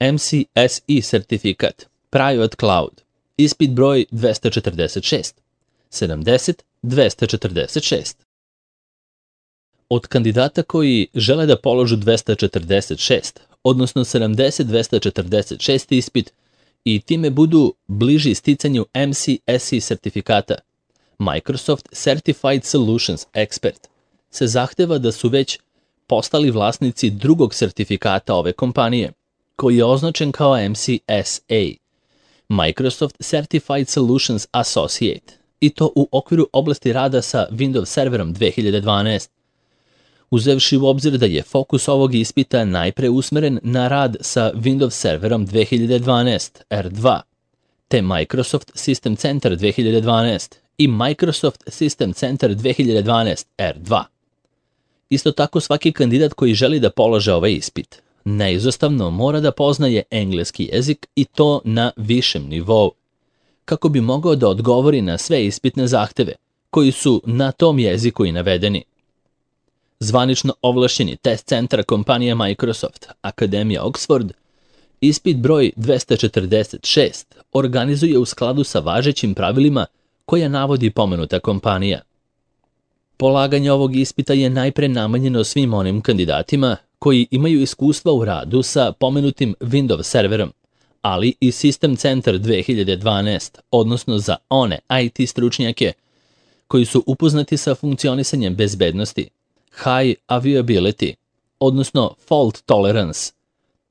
MCSE sertifikat, Private Cloud, ispit broj 246, 70-246. Od kandidata koji žele da položu 246, odnosno 70-246 ispit i time budu bliži sticanju MCSE sertifikata, Microsoft Certified Solutions Expert, se zahteva da su već postali vlasnici drugog sertifikata ove kompanije, koji je označen kao MCSA, Microsoft Certified Solutions Associate, i to u okviru oblasti rada sa Windows Serverom 2012. Uzevši u obzir da je fokus ovog ispita najpre usmeren na rad sa Windows Serverom 2012 R2, te Microsoft System Center 2012 i Microsoft System Center 2012 R2. Isto tako svaki kandidat koji želi da polože ovaj ispit neizostavno mora da poznaje engleski jezik i to na višem nivou, kako bi mogao da odgovori na sve ispitne zahteve koji su na tom jeziku i navedeni. Zvanično ovlašćeni test centar kompanija Microsoft, Akademija Oxford, ispit broj 246 organizuje u skladu sa važećim pravilima koja navodi pomenuta kompanija. Polaganje ovog ispita je najpre namenjeno svim onim kandidatima koji imaju iskustva u radu sa pomenutim Windows serverom, ali i System Center 2012, odnosno za one IT stručnjake koji su upoznati sa funkcionisanjem bezbednosti, high availability, odnosno fault tolerance,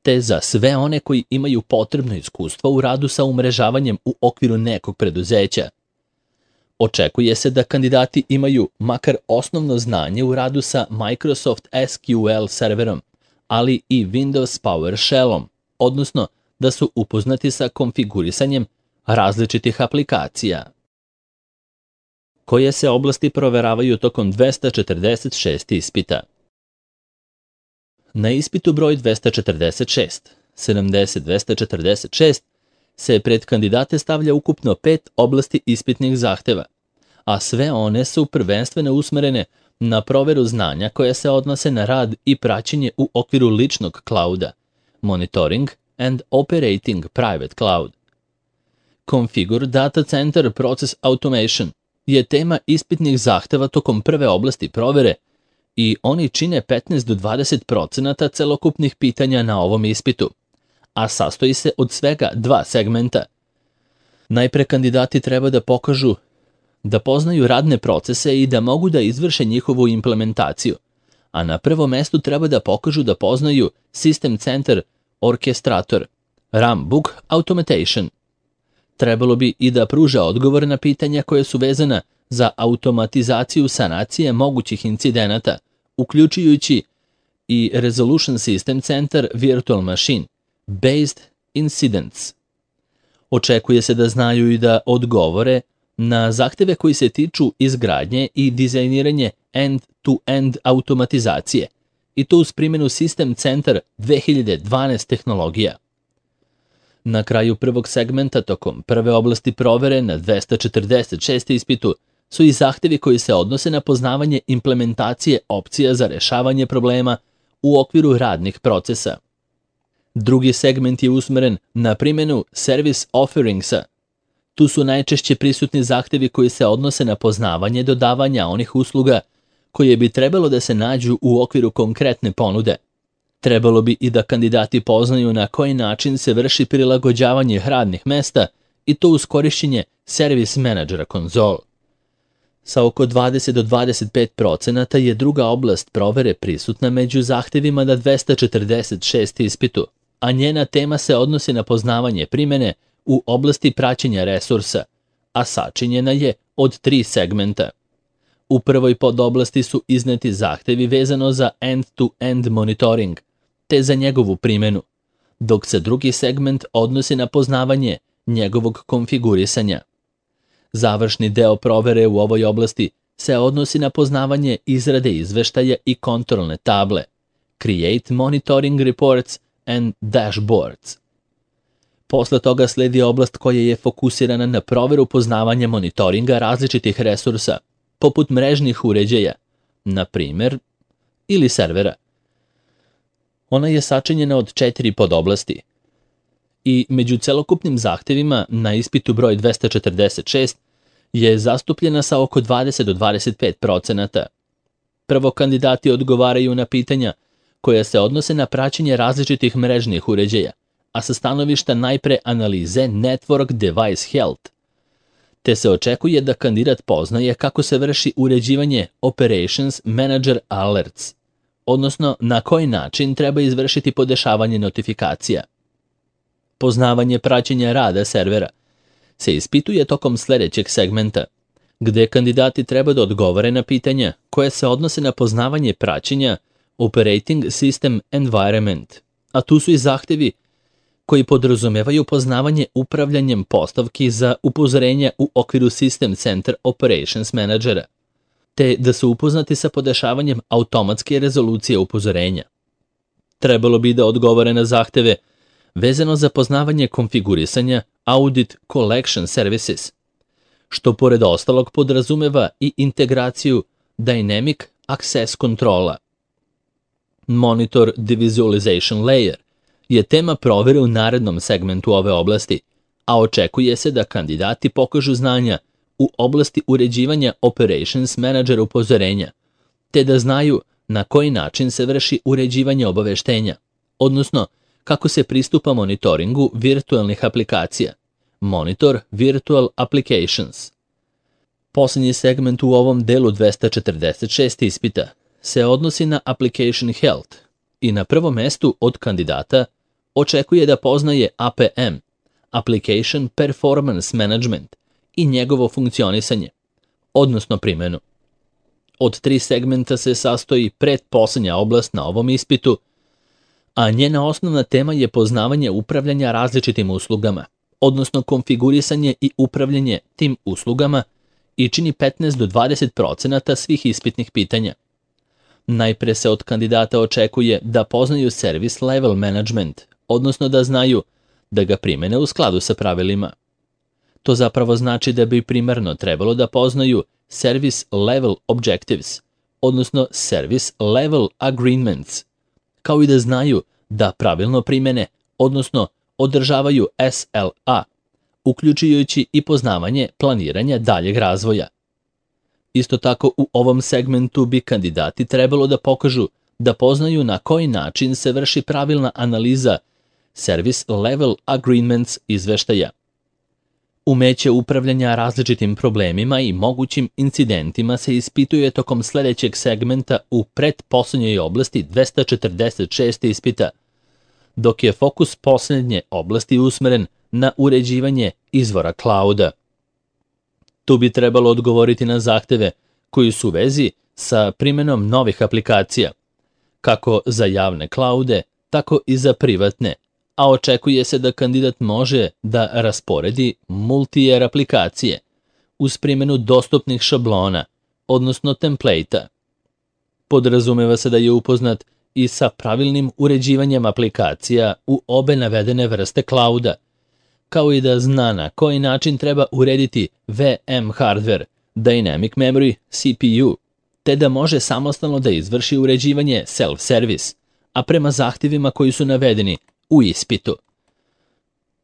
te za sve one koji imaju potrebno iskustvo u radu sa umrežavanjem u okviru nekog preduzeća. Očekuje se da kandidati imaju makar osnovno znanje u radu sa Microsoft SQL serverom, ali i Windows PowerShellom, odnosno da su upoznati sa konfigurisanjem različitih aplikacija. Koje se oblasti proveravaju tokom 246 ispita? Na ispitu broj 246, 70-246, se pred kandidate stavlja ukupno 5 oblasti ispitnih zahteva, a sve one su prvenstveno usmerene na proveru znanja koja se odnose na rad i praćenje u okviru ličnog clouda, monitoring and operating private cloud. Configure Data Center Process Automation je tema ispitnih zahteva tokom prve oblasti provere i oni čine 15 do 20% celokupnih pitanja na ovom ispitu, a sastoji se od svega 2 segmenta. Najpre kandidati treba da pokažu da poznaju radne procese i da mogu da izvrše njihovu implementaciju, a na prvom mestu treba da pokažu da poznaju System Center Orchestrator, Runbook Automation. Trebalo bi i da pruža odgovor na pitanja koje su vezana za automatizaciju sanacije mogućih incidenata, uključujući i Resolution System Center Virtual Machine, Based Incidents. Očekuje se da znaju i da odgovore na zahteve koji se tiču izgradnje i dizajniranje end-to-end automatizacije, i to uz primjenu System Center 2012 tehnologija. Na kraju prvog segmenta tokom prve oblasti provere na 246 ispitu su i zahtevi koji se odnose na poznavanje implementacije opcija za rešavanje problema u okviru radnih procesa. Drugi segment je usmeren na primjenu Service Offeringsa. Tu su najčešće prisutni zahtevi koji se odnose na poznavanje dodavanja onih usluga koje bi trebalo da se nađu u okviru konkretne ponude. Trebalo bi i da kandidati poznaju na koji način se vrši prilagođavanje radnih mesta i to uz korišćenje Service Managera konzol. Sa oko 20 do 25% je druga oblast provere prisutna među zahtevima na 246 ispitu, a njena tema se odnosi na poznavanje primjene u oblasti praćenja resursa, a sačinjena je od 3 segmenta. U prvoj podoblasti su izneti zahtevi vezano za end-to-end monitoring, te za njegovu primjenu, dok se drugi segment odnosi na poznavanje njegovog konfigurisanja. Završni deo provere u ovoj oblasti se odnosi na poznavanje izrade izveštaja i kontrolne table, Create Monitoring Reports and Dashboards. Posle toga sledi oblast koja je fokusirana na proveru poznavanja monitoringa različitih resursa, poput mrežnih uređaja, na primjer, ili servera. Ona je sačinjena od 4 podoblasti: i među celokupnim zahtevima na ispitu broj 246 je zastupljena sa oko 20 do 25%. Prvo, kandidati odgovaraju na pitanja koja se odnose na praćenje različitih mrežnih uređaja, a sa stanovišta najpre analize Network Device Health, te se očekuje da kandidat poznaje kako se vrši uređivanje Operations Manager Alerts, odnosno na koji način treba izvršiti podešavanje notifikacija. Poznavanje praćenja rada servera se ispituje tokom sledećeg segmenta, gde kandidati treba da odgovore na pitanja koje se odnose na poznavanje praćenja Operating System Environment, a tu su i zahtevi koji podrazumevaju poznavanje upravljanjem postavki za upozorenja u okviru System Center Operations Managera, te da su upoznati sa podešavanjem automatske rezolucije upozorenja. Trebalo bi da odgovore na zahteve vezano za poznavanje konfigurisanja Audit Collection Services, što pored ostalog podrazumeva i integraciju Dynamic Access Controla. Monitor Devisualization Layer je tema provere u narednom segmentu ove oblasti, a očekuje se da kandidati pokažu znanja u oblasti uređivanja Operations Manager upozorenja, te da znaju na koji način se vrši uređivanje obaveštenja, odnosno kako se pristupa monitoringu virtualnih aplikacija, Monitor Virtual Applications. Poslednji segment u ovom delu 246 ispita se odnosi na Application Health i na prvom mestu od kandidata očekuje da poznaje APM, Application Performance Management, i njegovo funkcionisanje, odnosno primenu. Od 3 segmenta se sastoji pretposlednja oblast na ovom ispitu, a njena osnovna tema je poznavanje upravljanja različitim uslugama, odnosno konfigurisanje i upravljanje tim uslugama, i čini 15 do 20% svih ispitnih pitanja. Najpre se od kandidata očekuje da poznaju Service Level Management, odnosno da znaju da ga primene u skladu sa pravilima. To zapravo znači da bi primarno trebalo da poznaju Service Level Objectives, odnosno Service Level Agreements, kao i da znaju da pravilno primene, odnosno održavaju SLA, uključujući i poznavanje planiranja daljeg razvoja. Isto tako u ovom segmentu bi kandidati trebalo da pokažu da poznaju na koji način se vrši pravilna analiza Service Level Agreements izveštaja. Umeće upravljanja različitim problemima i mogućim incidentima se ispituje tokom sledećeg segmenta u pretposlednjoj oblasti 246 ispita, dok je fokus poslednje oblasti usmeren na uređivanje izvora clouda. Tu bi trebalo odgovoriti na zahteve koji su u vezi sa primenom novih aplikacija, kako za javne cloude, tako i za privatne, a očekuje se da kandidat može da rasporedi multi-tier aplikacije uz primjenu dostupnih šablona, odnosno template-a. Podrazumeva se da je upoznat i sa pravilnim uređivanjem aplikacija u obe navedene vrste clouda, kao i da zna na koji način treba urediti VM hardware, Dynamic Memory, CPU, te da može samostalno da izvrši uređivanje self-service, a prema zahtjevima koji su navedeni u ispitu.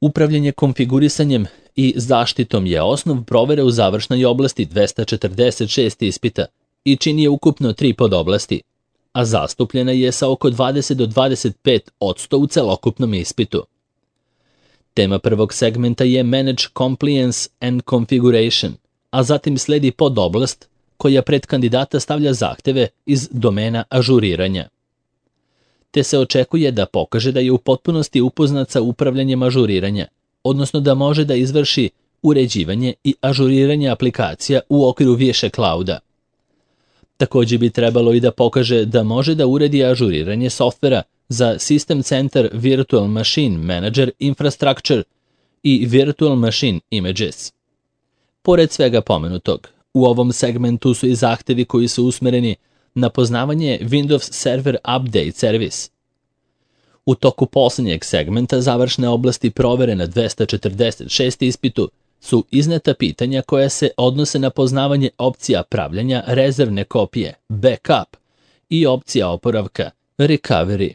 Upravljanje konfigurisanjem i zaštitom je osnov provere u završnoj oblasti 246 ispita i čini je ukupno 3 podoblasti, a zastupljena je sa oko 20 do 25% u celokupnom ispitu. Tema prvog segmenta je Manage Compliance and Configuration, a zatim sledi podoblast koja pred kandidata stavlja zahteve iz domena ažuriranja. Te se očekuje da pokaže da je u potpunosti upoznat sa upravljanjem ažuriranja, odnosno da može da izvrši uređivanje i ažuriranje aplikacija u okviru više clouda. Takođe bi trebalo i da pokaže da može da uredi ažuriranje softvera za System Center Virtual Machine Manager Infrastructure i Virtual Machine Images. Pored svega pomenutog, u ovom segmentu su i zahtevi koji su usmereni na poznavanje Windows Server Update Service. U toku poslednjeg segmenta završne oblasti provere na 246 ispitu su izneta pitanja koja se odnose na poznavanje opcija pravljanja rezervne kopije, backup, i opcija oporavka, recovery.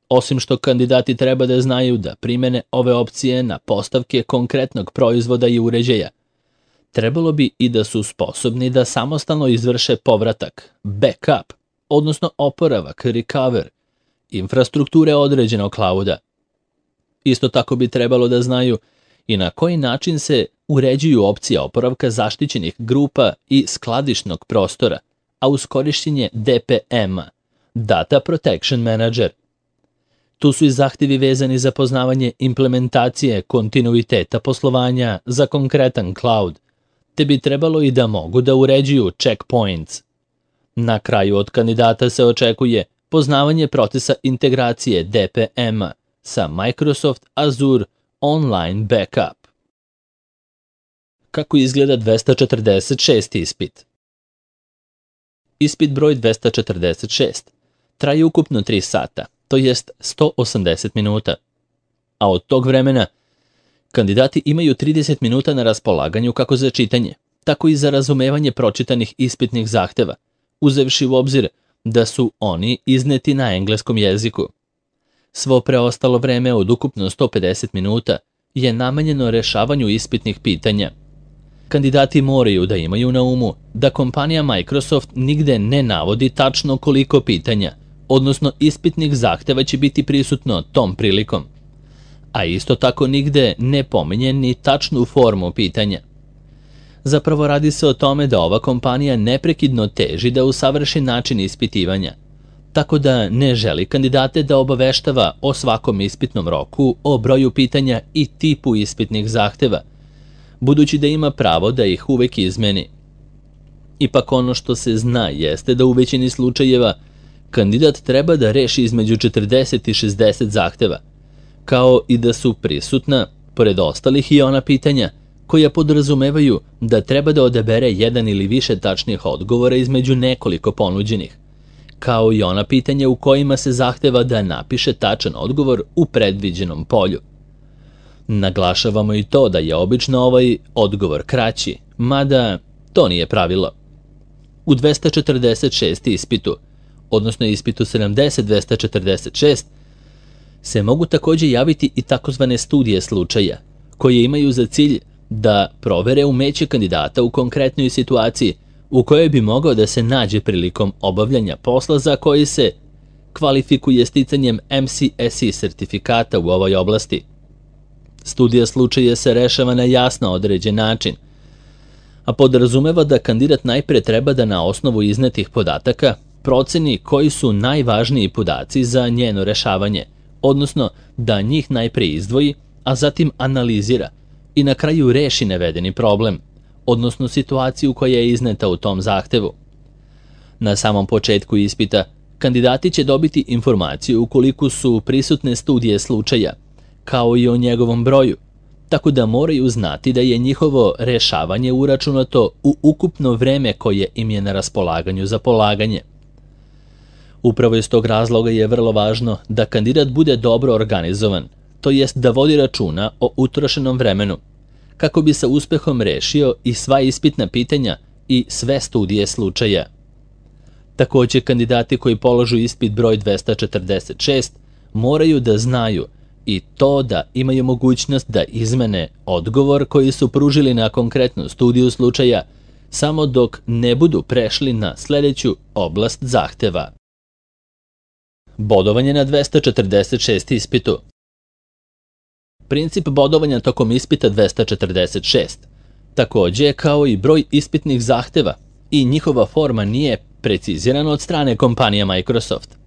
Osim što kandidati treba da znaju da primene ove opcije na postavke konkretnog proizvoda i uređaja, trebalo bi i da su sposobni da samostalno izvrše povratak, backup, odnosno oporavak, recover, infrastrukture određenog clouda. Isto tako bi trebalo da znaju i na koji način se uređuju opcije oporavka zaštićenih grupa i skladišnog prostora, a uz korišćenje DPM-a, Data Protection Manager. Tu su i zahtevi vezani za poznavanje implementacije kontinuiteta poslovanja za konkretan cloud, te bi trebalo i da mogu da uređuju checkpoints. Na kraju od kandidata se očekuje poznavanje procesa integracije DPM-a sa Microsoft Azure Online Backup. Kako izgleda 246. ispit? Ispit broj 246 traje ukupno 3 sata, to jest 180 minuta. A od tog vremena kandidati imaju 30 minuta na raspolaganju kako za čitanje, tako i za razumevanje pročitanih ispitnih zahteva, uzevši u obzir da su oni izneti na engleskom jeziku. Svo preostalo vreme od ukupno 150 minuta je namenjeno rešavanju ispitnih pitanja. Kandidati moraju da imaju na umu da kompanija Microsoft nigde ne navodi tačno koliko pitanja, odnosno ispitnih zahteva će biti prisutno tom prilikom, a isto tako nigde ne pominje ni tačnu formu pitanja. Zapravo radi se o tome da ova kompanija neprekidno teži da usavrši način ispitivanja, tako da ne želi kandidate da obaveštava o svakom ispitnom roku, o broju pitanja i tipu ispitnih zahteva, budući da ima pravo da ih uvek izmeni. Ipak ono što se zna jeste da u većini slučajeva kandidat treba da reši između 40 i 60 zahteva, kao i da su prisutna, pored ostalih, i ona pitanja koja podrazumevaju da treba da odabere jedan ili više tačnih odgovora između nekoliko ponuđenih, kao i ona pitanja u kojima se zahteva da napiše tačan odgovor u predviđenom polju. Naglašavamo i to da je obično ovaj odgovor kraći, mada to nije pravilo. U 246. ispitu, odnosno ispitu 70-246, se mogu takođe javiti i takozvane studije slučaja, koje imaju za cilj da provere umeće kandidata u konkretnoj situaciji u kojoj bi mogao da se nađe prilikom obavljanja posla za koji se kvalifikuje sticanjem MCSE sertifikata u ovoj oblasti. Studija slučaja se rešava na jasno određen način, a podrazumeva da kandidat najpre treba da na osnovu iznetih podataka proceni koji su najvažniji podaci za njeno rešavanje, odnosno da njih najpre izdvoji, a zatim analizira i na kraju reši navedeni problem, odnosno situaciju koja je izneta u tom zahtevu. Na samom početku ispita, kandidati će dobiti informaciju ukoliko su prisutne studije slučaja, kao i o njegovom broju, tako da moraju znati da je njihovo rešavanje uračunato u ukupno vreme koje im je na raspolaganju za polaganje. Upravo iz tog razloga je vrlo važno da kandidat bude dobro organizovan, to jest da vodi računa o utrošenom vremenu, kako bi sa uspehom rešio i sva ispitna pitanja i sve studije slučaja. Takođe, kandidati koji polažu ispit broj 246 moraju da znaju i to da imaju mogućnost da izmene odgovor koji su pružili na konkretnu studiju slučaja samo dok ne budu prešli na sledeću oblast zahteva. Bodovanje na 246 ispitu. Princip bodovanja tokom ispita 246, takođe kao i broj ispitnih zahteva i njihova forma nije precizirana od strane kompanije Microsoft.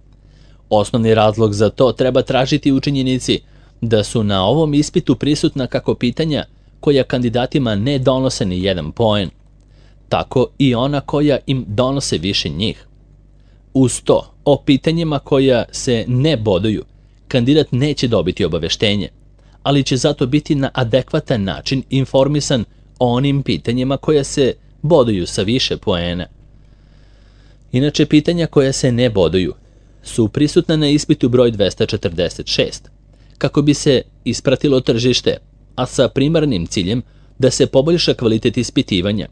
Osnovni razlog za to treba tražiti u činjenici da su na ovom ispitu prisutna kako pitanja koja kandidatima ne donose ni jedan poen, tako i ona koja im donose više njih. Uz to, o pitanjima koja se ne boduju, kandidat neće dobiti obaveštenje, ali će zato biti na adekvatan način informisan o onim pitanjima koja se boduju sa više poena. Inače, pitanja koja se ne boduju su prisutna na ispitu broj 246, kako bi se ispratilo tržište, a sa primarnim ciljem da se poboljša kvalitet ispitivanja.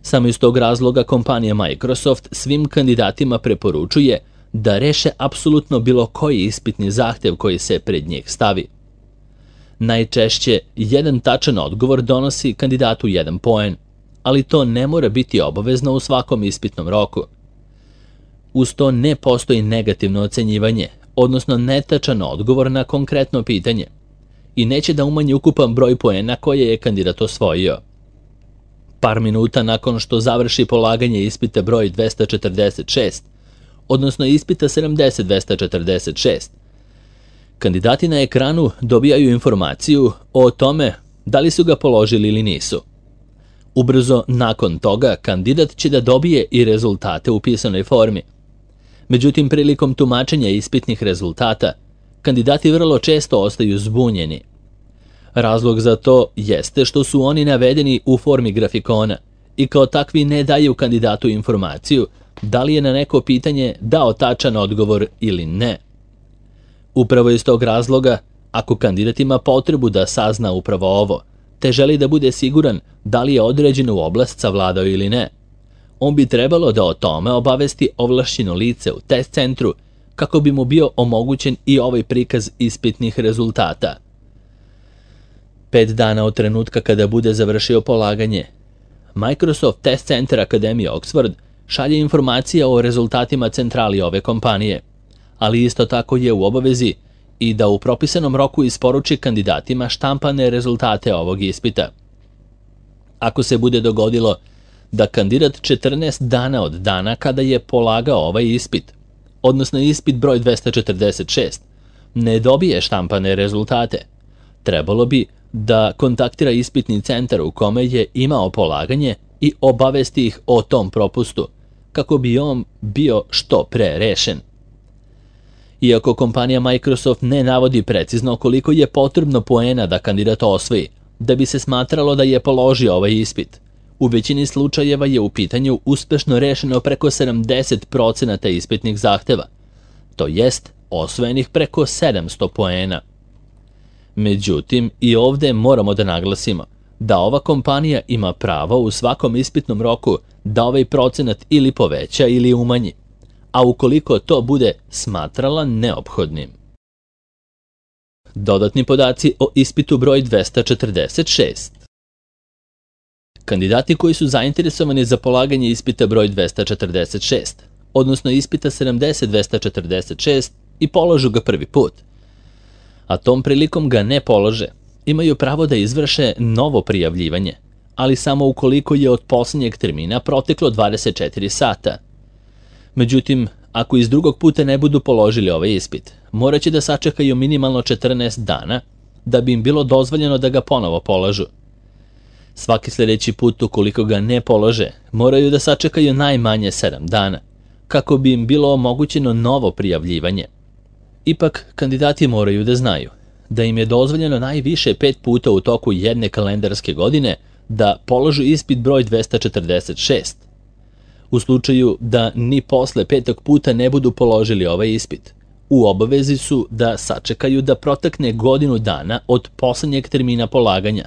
Samo iz tog razloga kompanija Microsoft svim kandidatima preporučuje da reše apsolutno bilo koji ispitni zahtev koji se pred njih stavi. Najčešće, jedan tačan odgovor donosi kandidatu 1 poen, ali to ne mora biti obavezno u svakom ispitnom roku. Uz to ne postoji negativno ocenjivanje, odnosno netačan odgovor na konkretno pitanje, i neće da umanji ukupan broj poena koje je kandidat osvojio. Par minuta nakon što završi polaganje ispita broj 246, odnosno ispita 70-246, kandidati na ekranu dobijaju informaciju o tome da li su ga položili ili nisu. Ubrzo nakon toga kandidat će da dobije i rezultate u pisanoj formi. Međutim, prilikom tumačenja ispitnih rezultata, kandidati vrlo često ostaju zbunjeni. Razlog za to jeste što su oni navedeni u formi grafikona i kao takvi ne daju kandidatu informaciju da li je na neko pitanje dao tačan odgovor ili ne. Upravo iz tog razloga, ako kandidat ima potrebu da sazna upravo ovo, te želi da bude siguran da li je određenu oblast savladao ili ne, on bi trebalo da o tome obavesti ovlašćeno lice u test centru kako bi mu bio omogućen i ovaj prikaz ispitnih rezultata. 5 dana od trenutka kada bude završio polaganje, Microsoft Test Center Akademije Oxford šalje informacije o rezultatima centrali ove kompanije, ali isto tako je u obavezi i da u propisanom roku isporuči kandidatima štampane rezultate ovog ispita. Ako se bude dogodilo da kandidat 14 dana od dana kada je polagao ovaj ispit, odnosno ispit broj 246, ne dobije štampane rezultate, trebalo bi da kontaktira ispitni centar u kome je imao polaganje i obavesti ih o tom propustu, kako bi on bio što pre rešen. Iako kompanija Microsoft ne navodi precizno koliko je potrebno poena da kandidat osvoji, da bi se smatralo da je položio ovaj ispit, u većini slučajeva je u pitanju uspešno rešeno preko 70% ispitnih zahteva, to jest osvojenih preko 700 poena. Međutim, i ovde moramo da naglasimo da ova kompanija ima pravo u svakom ispitnom roku da ovaj procenat ili poveća ili umanji, a ukoliko to bude smatrala neophodnim. Dodatni podaci o ispitu broj 246. Kandidati koji su zainteresovani za polaganje ispita broj 246, odnosno ispita 70-246 i položu ga prvi put, a tom prilikom ga ne polože, imaju pravo da izvrše novo prijavljivanje, ali samo ukoliko je od posljednjeg termina proteklo 24 sata. Međutim, ako iz drugog puta ne budu položili ovaj ispit, morat će da sačekaju minimalno 14 dana da bi im bilo dozvoljeno da ga ponovo polažu. Svaki sljedeći put ukoliko ga ne polože, moraju da sačekaju najmanje 7 dana, kako bi im bilo omogućeno novo prijavljivanje. Ipak, kandidati moraju da znaju da im je dozvoljeno najviše 5 puta u toku jedne kalendarske godine da položu ispit broj 246. U slučaju da ni posle 5. puta ne budu položili ovaj ispit, u obavezi su da sačekaju da protekne godinu dana od poslednjeg termina polaganja,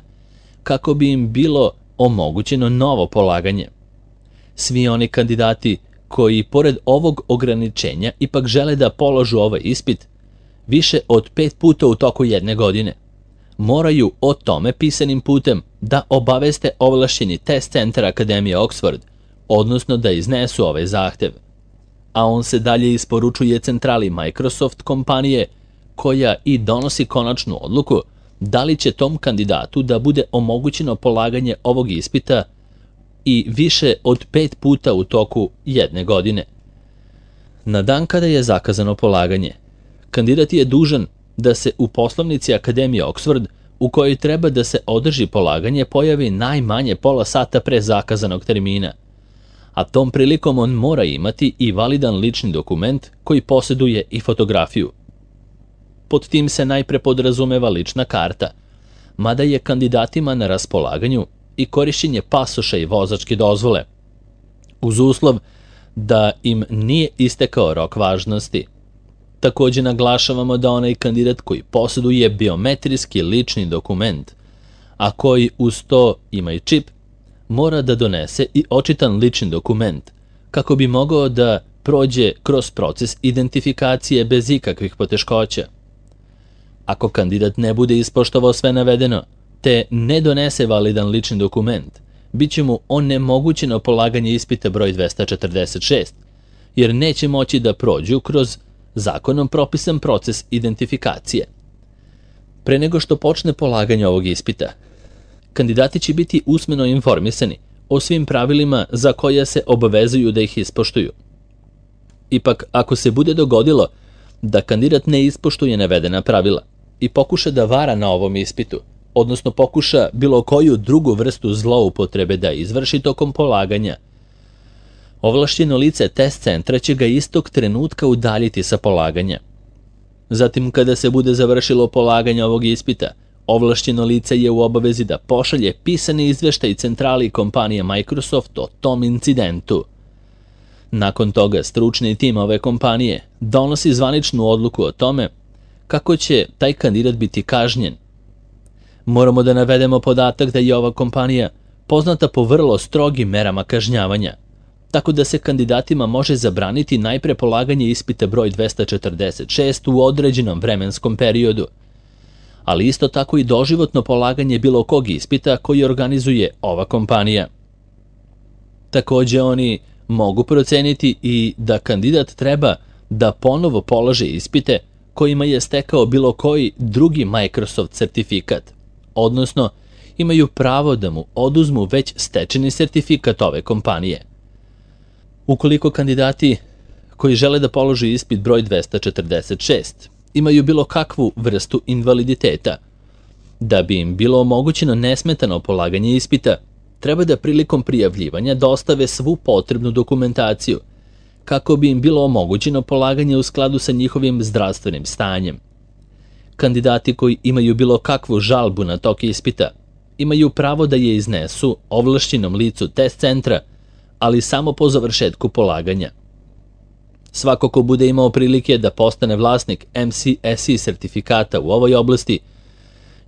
kako bi im bilo omogućeno novo polaganje. Svi oni kandidati koji, pored ovog ograničenja, ipak žele da položu ovaj ispit više od 5 puta u toku jedne godine, moraju o tome pisanim putem da obaveste ovlašćeni test centar Akademije Oxford, odnosno da iznesu ovaj zahtev. A on se dalje isporučuje centrali Microsoft kompanije, koja i donosi konačnu odluku da li će tom kandidatu da bude omogućeno polaganje ovog ispita i više od 5 puta u toku jedne godine. Na dan kada je zakazano polaganje, kandidat je dužan da se u poslovnici Akademije Oxford, u kojoj treba da se održi polaganje, pojavi najmanje pola sata pre zakazanog termina, a tom prilikom on mora imati i validan lični dokument koji posjeduje i fotografiju. Pod tim se najpre podrazumeva lična karta, mada je kandidatima na raspolaganju i korišćenje pasoša i vozačke dozvole, uz uslov da im nije istekao rok važnosti. Također naglašavamo da onaj kandidat koji posjeduje biometrijski lični dokument, a koji uz to ima i čip, mora da donese i očitan lični dokument, kako bi mogao da prođe kroz proces identifikacije bez ikakvih poteškoća. Ako kandidat ne bude ispoštovao sve navedeno, te ne donese validan lični dokument, bit će mu onemogućeno polaganje ispita broj 246, jer neće moći da prođu kroz zakonom propisan proces identifikacije. Pre nego što počne polaganje ovog ispita, kandidati će biti usmeno informisani o svim pravilima za koja se obavezuju da ih ispoštuju. Ipak, ako se bude dogodilo da kandidat ne ispoštuje navedena pravila i pokuša da vara na ovom ispitu, odnosno pokuša bilo koju drugu vrstu zloupotrebe da izvrši tokom polaganja, ovlašćeno lice test centra će ga istog trenutka udaljiti sa polaganja. Zatim, kada se bude završilo polaganje ovog ispita, ovlašćeno lice je u obavezi da pošalje pisani izveštaj centrali kompanije Microsoft o tom incidentu. Nakon toga, stručni tim ove kompanije donosi zvaničnu odluku o tome kako će taj kandidat biti kažnjen. Moramo da navedemo podatak da je ova kompanija poznata po vrlo strogim merama kažnjavanja, tako da se kandidatima može zabraniti najpre polaganje ispita broj 246 u određenom vremenskom periodu, ali isto tako i doživotno polaganje bilo kog ispita koji organizuje ova kompanija. Takođe, oni mogu proceniti i da kandidat treba da ponovo polaže ispite kojima je stekao bilo koji drugi Microsoft sertifikat, odnosno imaju pravo da mu oduzmu već stečeni sertifikat ove kompanije. Ukoliko kandidati koji žele da polože ispit broj 246 imaju bilo kakvu vrstu invaliditeta, da bi im bilo omogućeno nesmetano polaganje ispita, treba da prilikom prijavljivanja dostave svu potrebnu dokumentaciju, kako bi im bilo omogućeno polaganje u skladu sa njihovim zdravstvenim stanjem. Kandidati koji imaju bilo kakvu žalbu na tok ispita imaju pravo da je iznesu ovlašćenom licu test centra, ali samo po završetku polaganja. Svako ko bude imao prilike da postane vlasnik MCSE sertifikata u ovoj oblasti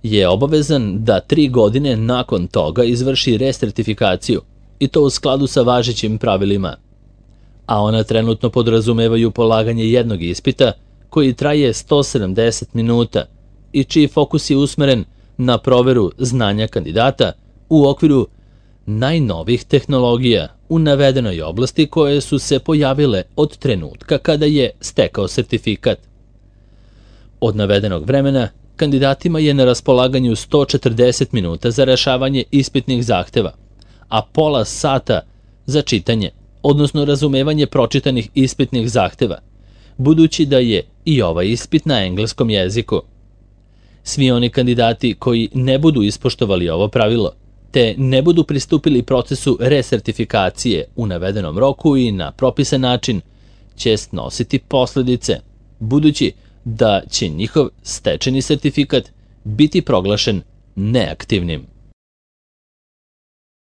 je obavezan da 3 godine nakon toga izvrši resertifikaciju, i to u skladu sa važećim pravilima, a ona trenutno podrazumevaju polaganje jednog ispita koji traje 170 minuta i čiji fokus je usmeren na proveru znanja kandidata u okviru najnovijih tehnologija u navedenoj oblasti koje su se pojavile od trenutka kada je stekao sertifikat. Od navedenog vremena kandidatima je na raspolaganju 140 minuta za rešavanje ispitnih zahteva, a pola sata za čitanje, odnosno razumevanje pročitanih ispitnih zahteva, budući da je i ovaj ispit na engleskom jeziku. Svi oni kandidati koji ne budu ispoštovali ovo pravilo, te ne budu pristupili procesu resertifikacije u navedenom roku i na propisan način, će snositi posledice, budući da će njihov stečeni sertifikat biti proglašen neaktivnim.